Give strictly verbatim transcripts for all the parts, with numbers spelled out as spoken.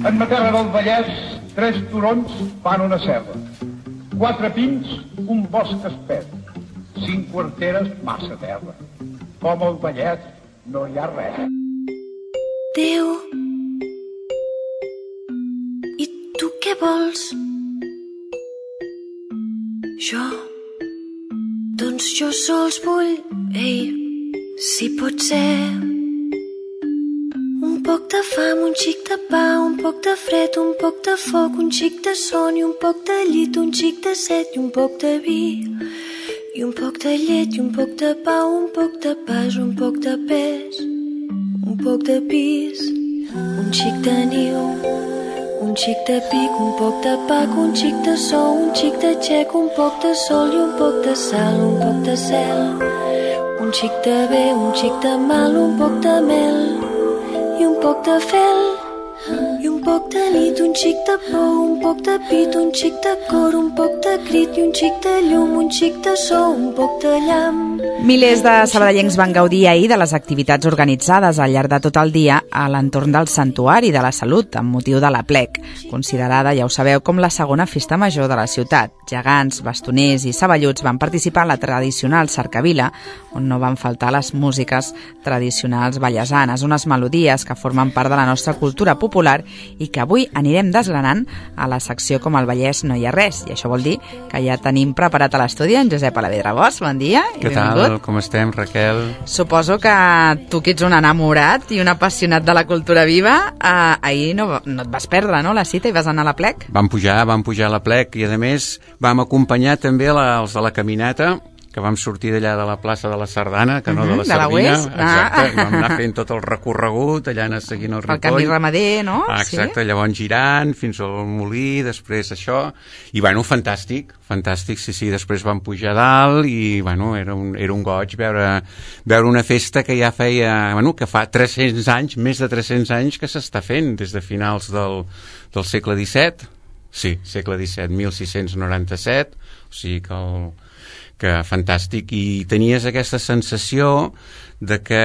En ma terra del Vallès, tres turons fan una serra. Quatre pins, un bosc espès. Cinc quarteres, massa terra. Com al Vallès no hi ha res. Déu, i tu què vols? Jo, doncs jo sols vull, ei, si pot ser. Un poc de fam, un xic de pa, un poc de fred, un poc de foc, un xic de son i un poc de llit, un xic de set i un poc de vi. I un poc de llet i un poc de pa, un poc de pas, un poc de pes, un poc de pis, un xic de niu, un xic de pic, un poc de pac, un xic de sou, un xic de xec, un poc de sol i un poc de sal, un poc de cel, un xic de bé, un xic de mal, un poc de mel i un poc de fel, i un poc de nit, un xic de por, un poc de pit, un xic de cor, un poc de crit i un xic de llum, un xic de so, un poc de llamp. Milers de sabadellencs van gaudir ahir de les activitats organitzades al llarg de tot el dia a l'entorn del Santuari de la Salut, amb motiu de l'Aplec, considerada, ja ho sabeu, com la segona festa major de la ciutat. Gegants, bastoners i saballuts van participar en la tradicional cercavila, on no van faltar les músiques tradicionals vallesanes, unes melodies que formen part de la nostra cultura popular i que avui anirem desgranant a la secció Com al Vallès no hi ha res. I això vol dir que ja tenim preparat a l'estudi en Josep Alavedra Bosch. Bon dia i Què benvingut. tal? Com estem, Raquel? Suposo que tu que ets un enamorat i un apassionat de la cultura viva, eh, ahir no, no et vas perdre, no?, la cita i vas anar a l'Aplec. Vam pujar, vam pujar a l'Aplec i a més vam acompanyar també la, els de la caminata, que vam sortir d'allà de la plaça de la Sardana, que no de la de la Sardina. Oest. Exacte, Ah. i vam anar fent tot el recorregut, allà anar seguint el Ripoll. El camí ramader, no? Ah, exacte, sí? Llavors girant fins al Molí, després això, i bueno, fantàstic, fantàstic, sí, sí, després vam pujar a dalt i bueno, era un, era un goig veure, veure una festa que ja feia, bueno, que fa tres-cents anys, més de tres-cents anys que s'està fent, des de finals del, del segle disset, sí, segle disset, mil sis-cents noranta-set, o sigui que el que fantàstic, i tenies aquesta sensació de que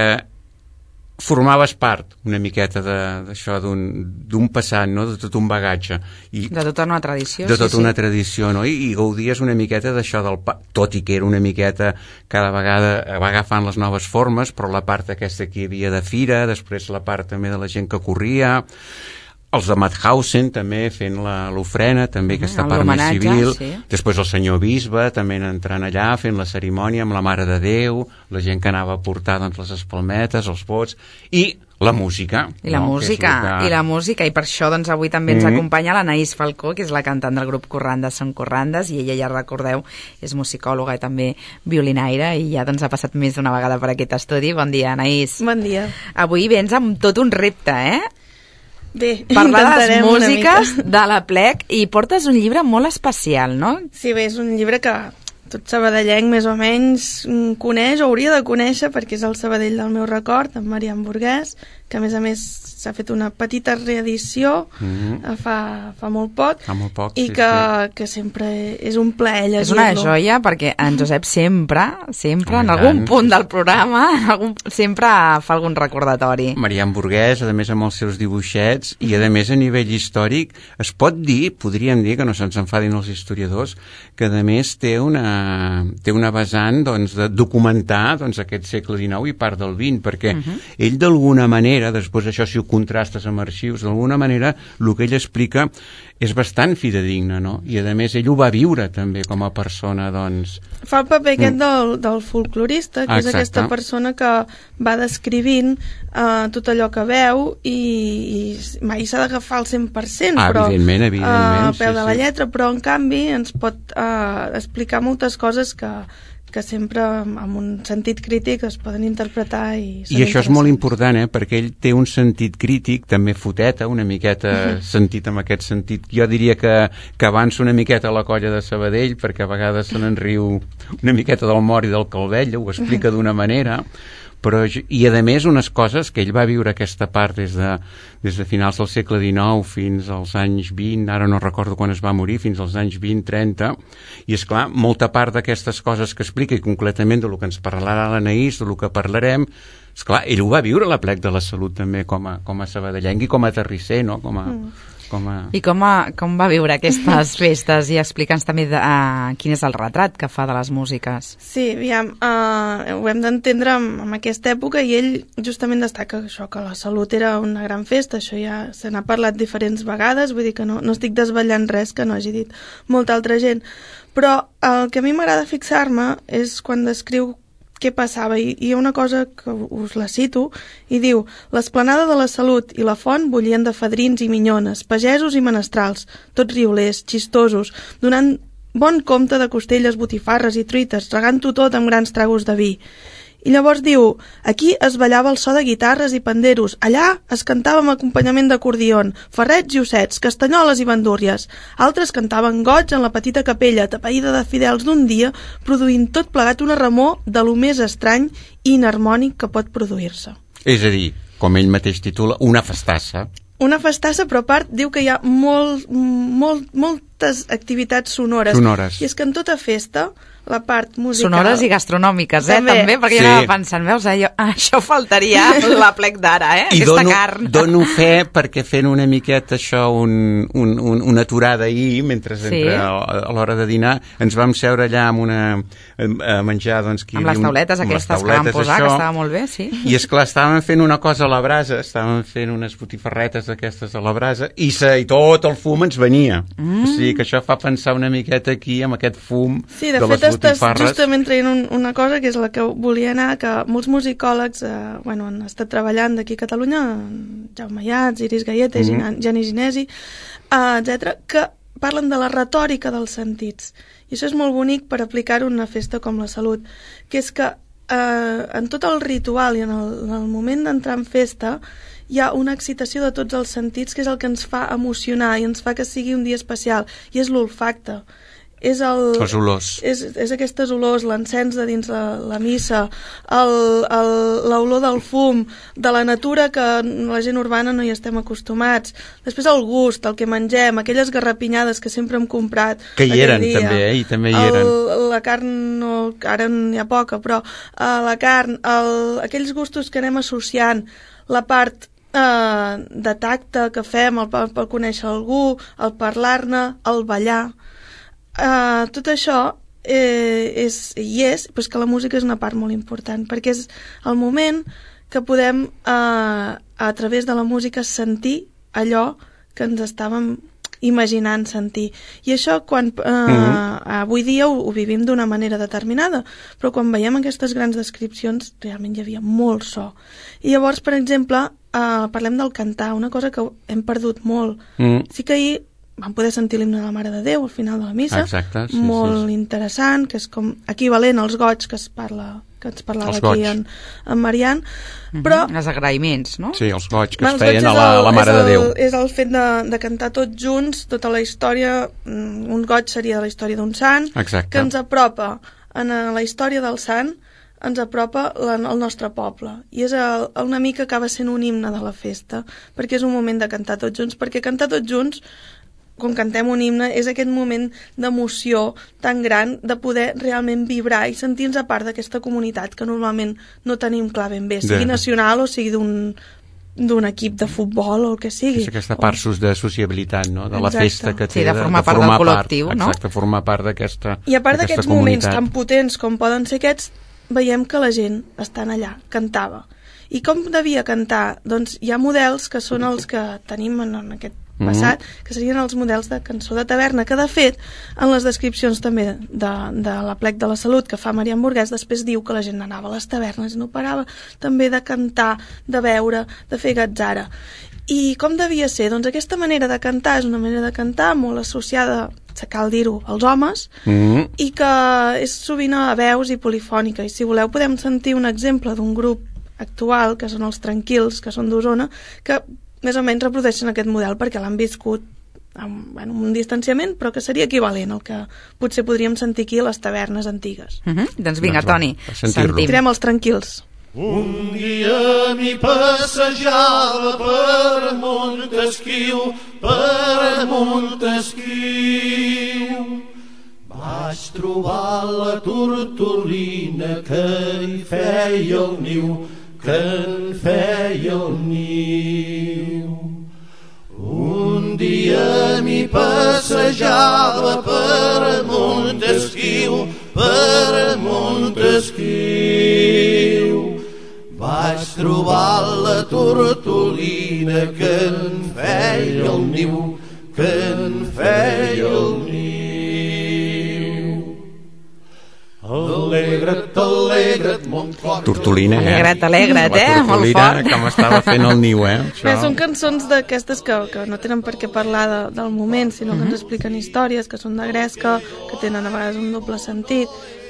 formaves part una miqueta d'això, d'un passat, no?, de tot un bagatge. I de tota una tradició. De tota sí, una sí. tradició, no? I, i gaudies una miqueta d'això del pa, tot i que era una miqueta, cada vegada va agafant les noves formes, però la part aquesta que hi havia de fira, després la part també de la gent que corria, els de Mauthausen també fent l'ofrena, també aquesta part més civil, sí. Després el senyor bisbe també entrant allà fent la cerimònia amb la Mare de Déu, la gent que anava a portar doncs, les espalmetes, els vots, i la música. I la no? música, que... i la música, i per això doncs, avui també ens mm-hmm. acompanya l'Anaïs Falcó, que és la cantant del grup Corrandes són Corrandes, i ella, ja recordeu, és musicòloga i també violinaire, i ja doncs, ha passat més d'una vegada per aquest estudi. Bon dia, Anaïs. Bon dia. Avui vens amb tot un repte, eh? Bé, parlar de les músiques de l'Aplec, i portes un llibre molt especial, no? Sí, bé, és un llibre que tot sabadellenc més o menys coneix o hauria de conèixer, perquè és el Sabadell del meu record, en Marian Burguès, que a més a més s'ha fet una petita reedició mm-hmm. fa, fa molt poc, fa molt poc i sí, que, sí. que sempre és un plaer llegir-lo. És una joia, perquè en Josep sempre, sempre, oh, en algun punt del programa, en algun, sempre fa algun recordatori. Marian Burguès, a més amb els seus dibuixets, i a més a nivell històric, es pot dir, podríem dir, que no se'ns enfadin els historiadors, que a més té una, té una vessant doncs, de documentar doncs, aquest segle dinou i part del vint, perquè uh-huh. ell d'alguna manera, després això si ho contrastes amb arxius, d'alguna manera el que ell explica és bastant fidedigne, no? I a més ell ho va viure també com a persona, doncs... Fa el paper aquest mm. del, del folclorista, que Exacte. És aquesta persona que va descrivint uh, tot allò que veu i, i mai s'ha d'agafar al cent per cent, ah, però evidentment, evidentment, uh, a peu sí, de la sí. lletra, però en canvi ens pot uh, explicar moltes coses que que sempre amb un sentit crític es poden interpretar i són I això és molt important, eh? Perquè ell té un sentit crític, també foteta, una miqueta uh-huh. sentit amb aquest sentit. Jo diria que, que avança una miqueta a la colla de Sabadell, perquè a vegades se n'en riu una miqueta del Mor i del Calvell, ho explica d'una manera, però, i a més unes coses que ell va viure aquesta part des de, des de finals del segle dinou fins als anys vint, ara no recordo quan es va morir, fins als anys vint trenta, i és clar, molta part d'aquestes coses que explica, i concretament de lo que ens parlarà l'Anaïs, de lo que parlarem, esclar, ell ho va viure a l'Aplec de la Salut també com a, com a sabadellenc i com a terrisser, no? Com a, mm. com a... I com, a, com va viure aquestes festes? I explica'ns també de, uh, quin és el retrat que fa de les músiques. Sí, aviam, uh, ho hem d'entendre en, en aquesta època, i ell justament destaca això, que la Salut era una gran festa, això ja se n'ha parlat diferents vegades, vull dir que no, no estic desvetllant res que no hagi dit molta altra gent, però el que a mi m'agrada fixar-me és quan descriu què passava, i hi ha una cosa que us la cito, i diu: l'esplanada de la Salut i la font bullien de fadrins i minyones, pagesos i menestrals, tots riolers, xistosos, donant bon compte de costelles, botifarres i truites, regant-ho tot amb grans tragos de vi. I llavors diu: aquí es ballava el so de guitarres i panderos, allà es cantava amb acompanyament d'acordion, ferrets i ossets, castanyoles i bandúrries. Altres cantaven goig en la petita capella, tapaïda de fidels d'un dia, produint tot plegat una remor de lo més estrany i inharmònic que pot produir-se. És a dir, com ell mateix titula, una festassa. Una festassa, però a part diu que hi ha molt, molt, moltes activitats sonores. Sonores. I és que en tota festa la part musical... Sonores i gastronòmiques, eh, també, també perquè sí. jo anava pensant, veus, allò, això faltaria l'Aplec d'ara, eh, I aquesta dono, carn. dono fe perquè fent una miqueta això, un, un, un, una aturada ahir, mentre sí. entre, a, a l'hora de dinar, ens vam seure allà amb una, a menjar, doncs... Qui, amb les tauletes amb aquestes les tauletes, que vam posar, això, que estava molt bé, sí. I esclar, estàvem fent una cosa a la brasa, estàvem fent unes botifarretes d'aquestes a la brasa, i, se, i tot el fum ens venia. Mm. O sigui que això fa pensar una miqueta aquí, amb aquest fum sí, de, de fet, les botifarres. Justament traient un, una cosa que és la que volia anar, que molts musicòlegs eh, bueno, han estat treballant d'aquí a Catalunya, Jaume Iats, Iris Gaieta, mm-hmm. Gianni Ginesi, eh, etcètera, que parlen de la retòrica dels sentits. I això és molt bonic per aplicar-ho en una festa com la Salut, que és que eh, en tot el ritual i en el, en el moment d'entrar en festa hi ha una excitació de tots els sentits que és el que ens fa emocionar i ens fa que sigui un dia especial, i és l'olfacte. És el, els olors. És, és aquestes olors, l'encens de dins la, la missa, l'olor del fum, de la natura que la gent urbana no hi estem acostumats. Després el gust, el que mengem, aquelles garrapinyades que sempre hem comprat. Que hi eren dia. també, eh? I també hi el, eren. La carn, no, ara n'hi ha poca, però uh, la carn, el, aquells gustos que anem associant, la part uh, de tacte que fem, el, el conèixer algú, el parlar-ne, el ballar... Uh, tot això eh, és, i és pues que la música és una part molt important, perquè és el moment que podem uh, a través de la música sentir allò que ens estàvem imaginant sentir, i això quan uh, mm-hmm. avui dia ho, ho vivim d'una manera determinada, però quan veiem aquestes grans descripcions realment hi havia molt so, i llavors per exemple uh, parlem del cantar, una cosa que hem perdut molt. Mm. Sí que ahir vam poder sentir l'himne de la Mare de Déu al final de la missa. Exacte, sí, molt sí, sí. interessant, que és com equivalent als goig que es parla, que ens parlava els aquí en, en Marian. Mm-hmm. Però els agraïments, no? Sí, els goig que els es feien goig a la, el, la Mare el, de Déu. És el fet de, de cantar tots junts tota la història. Un goig seria de la història d'un sant. Exacte. Que ens apropa en la història del sant, ens apropa la, el nostre poble, i és el, una mica acaba sent un himne de la festa, perquè és un moment de cantar tots junts, perquè cantar tots junts, quan cantem un himne, és aquest moment d'emoció tan gran de poder realment vibrar i sentir-nos a part d'aquesta comunitat que normalment no tenim clar ben bé, sigui de... nacional o sigui d'un d'un equip de futbol o el que sigui. És aquesta part o... de sociabilitat, no? De la Exacte. Festa que té. Sí, de formar, de, de formar part del col·lectiu, part, no? Exacte, formar part d'aquesta I a part d'aquests moments comunitat. tan potents com poden ser aquests, veiem que la gent estan allà, cantava. I com devia cantar? Doncs hi ha models que són els que tenim en, en aquest passat, mm-hmm. que serien els models de cançó de taverna, que de fet en les descripcions també de, de l'Aplec de la Salut que fa Marian Burguès, després diu que la gent anava a les tavernes i no parava també de cantar, de beure, de fer gatzara. I com devia ser? Doncs aquesta manera de cantar és una manera de cantar molt associada, cal dir-ho, als homes, mm-hmm. i que és sovint a veus i polifònica, i si voleu podem sentir un exemple d'un grup actual, que són els Tranquils, que són d'Osona, que més o menys reprodueixen aquest model perquè l'han viscut amb bueno, un distanciament, però que seria equivalent al que potser podríem sentir aquí a les tavernes antigues. Mm-hmm. Doncs vinga, doncs va, Toni, sentim. Tirem els Tranquils. Un dia m'hi passejava per Montesquiu, per Montesquiu. Vaig trobar la tortolina que hi feia el niu, que en feia el niu. Un dia m'hi passejava per Montesquiu, per Montesquiu. Vaig trobar la tortolina que en feia el niu, que en feia el niu. Alegra't, alegra't, mon cor. Tortolina, eh? Alegra't, alegra't, eh? La Molt tortolina, fort. com estava fent el niu, eh? Bé, són cançons d'aquestes que, que no tenen per què parlar de, del moment, sinó que ens expliquen històries, que són de gresca, que tenen a vegades un doble sentit,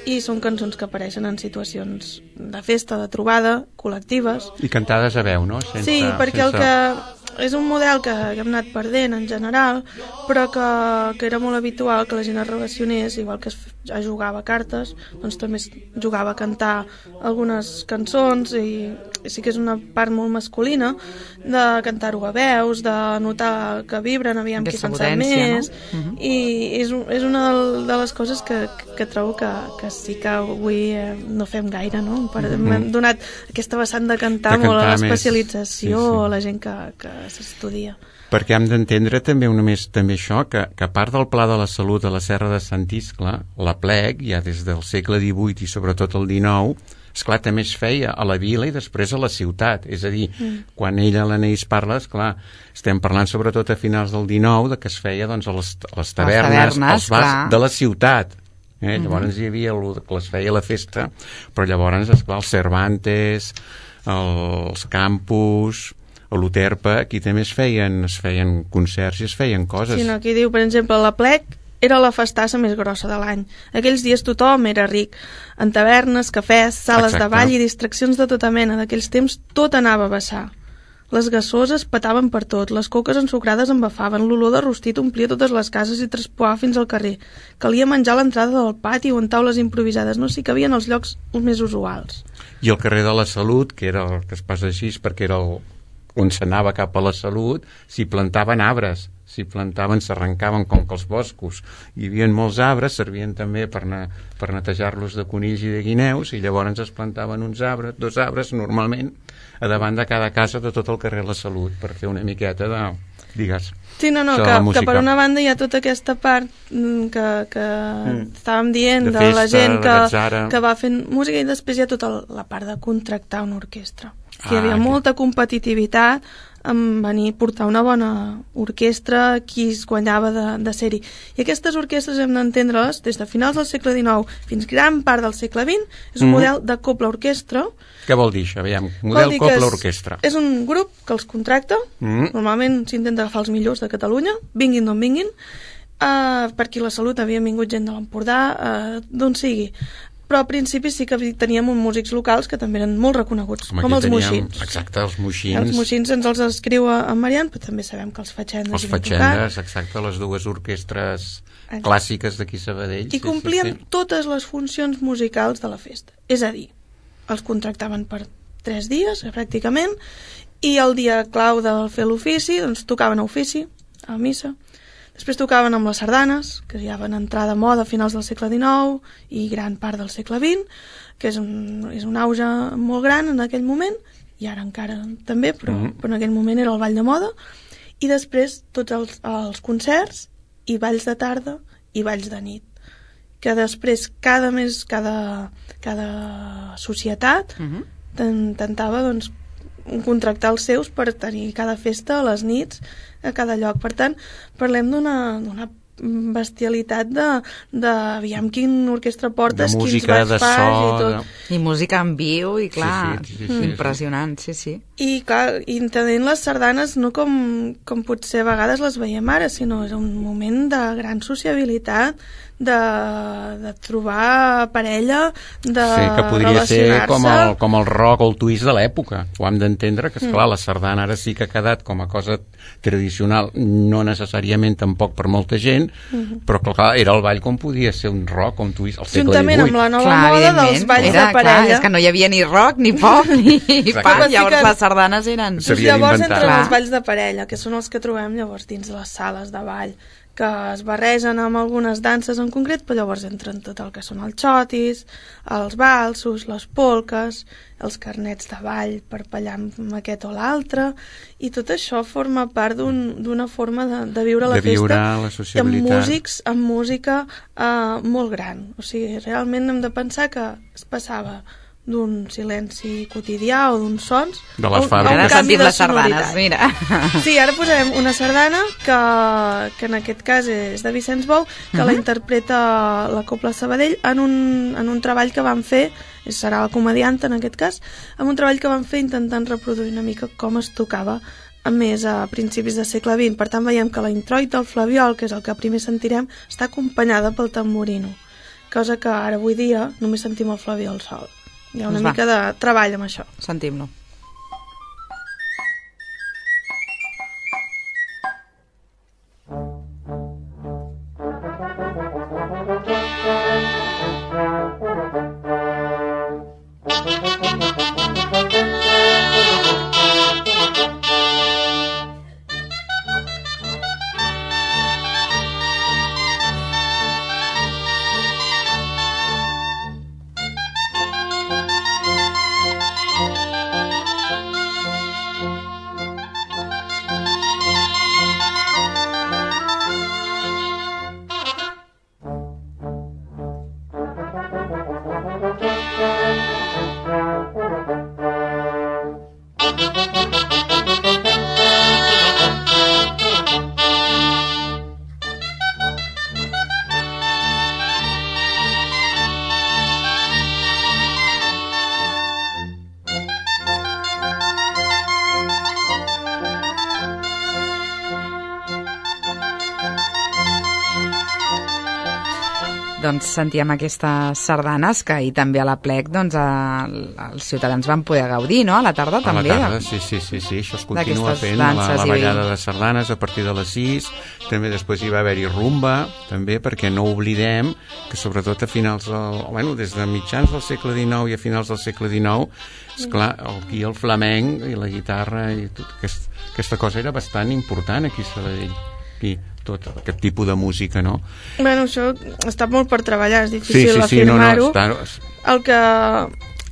i són cançons que apareixen en situacions de festa, de trobada, col·lectives. I cantades a veu, no? Sense, Sí, perquè sense... el que és un model que, que hem anat perdent en general, però que, que era molt habitual que la gent es relacionés, igual que es, es jugava a cartes, doncs també es jugava a cantar algunes cançons, i, i sí que és una part molt masculina de cantar-ho a veus, de notar que vibren, aviam qui se'n sap més, no? Uh-huh. I és, és una de les coses que, que trobo que, que sí que avui eh, no fem gaire, no? Per, uh-huh. M'hem donat aquesta vessant de cantar, de cantar molt a l'especialització, sí, sí. A la gent que, que s'estudia. Perquè hem d'entendre també una més també això, que, que a part del Pla de la Salut a la Serra de Sant Iscle, la Plec, ja des del segle divuit i sobretot el dinou, esclar, també es feia a la vila i després a la ciutat. És a dir, mm. quan ella, l'Anaïs, parla, esclar, estem parlant sobretot a finals del dinou, de que es feia doncs, a, les, a les tavernes, tavernes als bars clar. De la ciutat. Eh? Mm-hmm. Llavors hi havia el que es feia la festa, però llavors, esclar, els Cervantes, els campus, a l'Uterpa, aquí també es feien, es feien concerts i es feien coses. Sí, no, aquí diu, per exemple, la Plec era la festassa més grossa de l'any. Aquells dies tothom era ric. En tavernes, cafès, sales Exacte. De ball i distraccions de tota mena. D'aquells temps tot anava a vessar. Les gassoses petaven per tot, les coques ensucrades embafaven, l'olor de rostit omplia totes les cases i traspoava fins al carrer. Calia menjar a l'entrada del pati o en taules improvisades, no s'hi cabien els llocs més usuals. I el carrer de la Salut, que era el que es passa així, perquè era el on s'anava cap a la Salut, s'hi plantaven arbres, s'hi plantaven, s'arrencaven com que els boscos. Hi havia molts arbres, servien també per, ne, per netejar-los de conills i de guineus, i llavors es plantaven uns arbres, dos arbres, normalment, a davant de cada casa de tot el carrer La Salut, per fer una miqueta de, digues, sí, no, no, que, que per una banda hi ha tota aquesta part que, que mm. estàvem dient de, de festa, la gent que, que va fent música, i després hi ha tota la part de contractar una orquestra. Hi havia ah, molta competitivitat en venir a portar una bona orquestra, qui es guanyava de, de ser-hi. I aquestes orquestres hem d'entendre-les des de finals del segle dinou fins gran part del segle vint. És un mm. model de cobla-orquestra. Què vol dir això? Aviam, model cobla-orquestra. És, és un grup que els contracta, mm. normalment s'intenta agafar els millors de Catalunya, vinguin d'on vinguin, uh, perquè la Salut havia vingut gent de l'Empordà, uh, d'on sigui. Però al principi sí que teníem uns músics locals que també eren molt reconeguts, com, com els teníem, moixins. Exacte, els moixins. Els moixins ens els escriu en Marian, però també sabem que els fatxendes... Els fatxendes, exacte, les dues orquestres exacte. Clàssiques d'aquí Sabadell. I sí, complien sí, sí. totes les funcions musicals de la festa. És a dir, els contractaven per tres dies, pràcticament, i el dia clau de fer l'ofici, doncs tocaven a ofici, a missa. Després tocaven amb les sardanes, que ja van entrar de moda a finals del segle dinou i gran part del segle vint, que és un, és un auge molt gran en aquell moment, i ara encara també, però, mm. però en aquell moment era el ball de moda. I després tots els, els concerts i balls de tarda i balls de nit, que després cada mes, cada, cada societat mm-hmm. tentava doncs, contractar els seus per tenir cada festa a les nits a cada lloc. Per tant, parlem d'una, d'una bestialitat de, de aviam quin orquestra portes, música, quins balls fas so, i tot. De... I música en viu, i clar, sí, sí, sí, sí, impressionant, sí, sí. I, clar, i entenent les sardanes no com, com potser a vegades les veiem ara, sinó és un moment de gran sociabilitat, de, de trobar parella, de sí, que podria ser com el, com el rock o el twist de l'època. Ho hem d'entendre, que esclar, mm. la sardana ara sí que ha quedat com a cosa tradicional, no necessàriament tampoc per molta gent, mm-hmm. però clar, era el ball com podia ser un rock o un twist al segle divuit. Juntament amb la nova clar, moda dels balls era, de parella. Clar, és que no hi havia ni rock, ni pop, ni pop, llavors les sardanes eren... Llavors entren els balls de parella, que són els que trobem llavors dins les sales de ball, que es barregen amb algunes danses en concret, però llavors entren tot el que són els xotis, els valsos, les polques, els carnets de ball per ballar amb aquest o l'altre, i tot això forma part d'una un, forma de, de viure la de viure festa la amb músics, amb música eh, molt gran. O sigui, realment hem de pensar que es passava d'un silenci quotidià o d'uns sons de les a un, a un canvi de sardanes, mira. Sí, ara posarem una sardana que, que en aquest cas és de Vicenç Bou, que uh-huh. la interpreta la Cobla Sabadell en un, en un treball que van fer, serà la comedianta en aquest cas, en un treball que van fer intentant reproduir una mica com es tocava a més a principis del segle vint. Per tant veiem que la introit del flabiol, que és el que primer sentirem, està acompanyada pel tamborino, cosa que ara avui dia només sentim el flabiol sol. Hi ha una mica de treball amb això. Sentim-lo. Doncs sentíem aquestes sardanes que ahir també a la Plec doncs, a, els ciutadans van poder gaudir, no? A la tarda a també. A la tarda, sí, sí, sí, sí. Això es continua fent, la, la ballada de sardanes a partir de les sis, també després hi va haver-hi rumba, també, perquè no oblidem que sobretot a finals del, bueno, des de mitjans del segle dinou i a finals del segle dinou, esclar, aquí el flamenc i la guitarra i tot aquest, aquesta cosa era bastant important aquí a Sabadell. Aquí, tot aquest tipus de música, no? Bueno, això està molt per treballar, és difícil sí, sí, sí, afirmar-ho. No, no, està... el, que,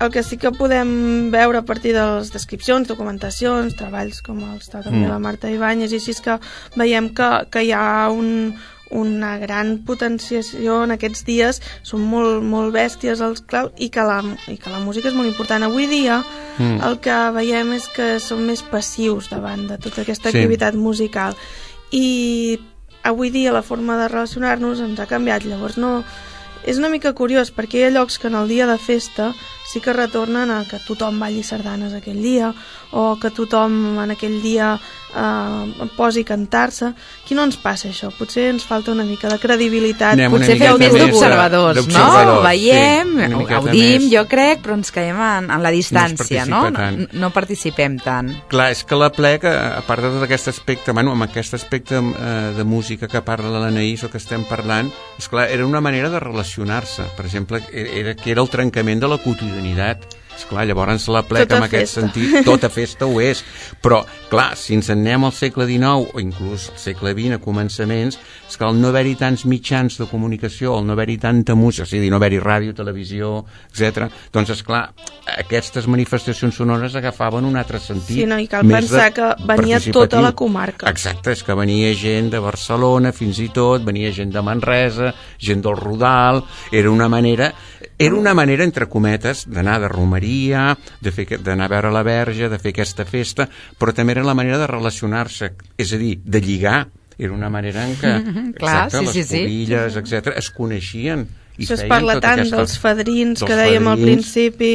el que sí que podem veure a partir de les descripcions, documentacions, treballs com els de també mm. la Marta Ibáñez, i així és que veiem que, que hi ha un, una gran potenciació en aquests dies, són molt, molt bèsties els claus, i que, la, i que la música és molt important. Avui dia mm. el que veiem és que són més passius davant de tota aquesta sí. activitat musical, i avui dia la forma de relacionar-nos ens ha canviat. Llavors no, és una mica curiós perquè hi ha llocs que en el dia de festa sí que retornen a que tothom balli sardanes aquell dia, o que tothom en aquell dia eh, posi a cantar-se. Aquí no ens passa això, potser ens falta una mica de credibilitat. Anem potser feu més d'observadors, no? Ho veiem, sí, gaudim, jo crec, però ens quedem en, en la distància, no? No, no participem tant. Clar, és que la Plec, a part de tot aquest aspecte, bueno, amb aquest aspecte eh, de música que parla l'Anaïs o que estem parlant, esclar, era una manera de relacionar-se. Per exemple, era, que era el trencament de la quotidianitat. Esclar, llavors la Plec, en aquest sentit, tota festa ho és. Però, clar, si ens en anem al segle dinou, o inclús al segle vint, a començaments, és que al no haver-hi tants mitjans de comunicació, al no haver-hi tanta música, o sigui, no haver-hi ràdio, televisió, etcètera, doncs, esclar, aquestes manifestacions sonores agafaven un altre sentit. Sí, no, i cal pensar que venia tota la comarca. Exacte, és que venia gent de Barcelona, fins i tot, venia gent de Manresa, gent del Rodal, era una manera... Era una manera, entre cometes, d'anar de romeria, de fer, d'anar a veure la Verge, de fer aquesta festa, però també era la manera de relacionar-se, és a dir, de lligar. Era una manera en què, mm-hmm, clar, exacte, sí, les sí, pobilles, sí. etcètera, es coneixien. I això es parla tota tant aquesta, dels fadrins dels que dèiem fadrins. al principi,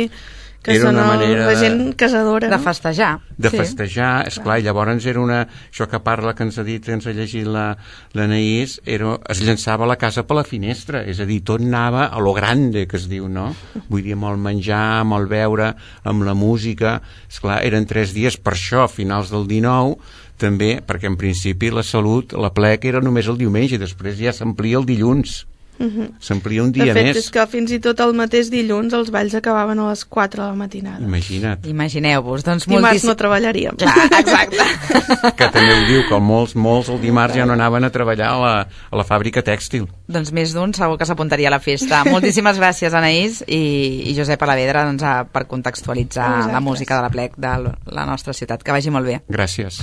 que era són una el, manera la gent casadora, De no? festejar. de Sí. festejar, esclar, i llavors era una... Això que parla, que ens ha dit, que ens ha llegit la, l'Anaïs, era, es llançava la casa per la finestra, és a dir, tot anava a lo grande, que es diu, no? Vull dir, amb el menjar, amb el beure, amb la música, esclar, eren tres dies, per això, a finals del dinou, també, perquè en principi la Salut, la plec era només el diumenge, i després ja s'amplia el dilluns. Uh-huh. S'amplia un dia de fet, més. és que fins i tot el mateix dilluns els balls acabaven a les quatre de la matinada. Imagina't. Imagineu-vos. Doncs Dimarts moltíssim... no treballaríem. Clar, exacte. Que també ho diu, que molts, molts el dimarts ja no anaven a treballar a la, a la fàbrica tèxtil. Doncs més d'un segur que s'apuntaria a la festa. Moltíssimes gràcies, Anaïs i, i Josep Alavedra, doncs, a, per contextualitzar Exacte. la música de la plec de la nostra ciutat. Que vagi molt bé. Gràcies.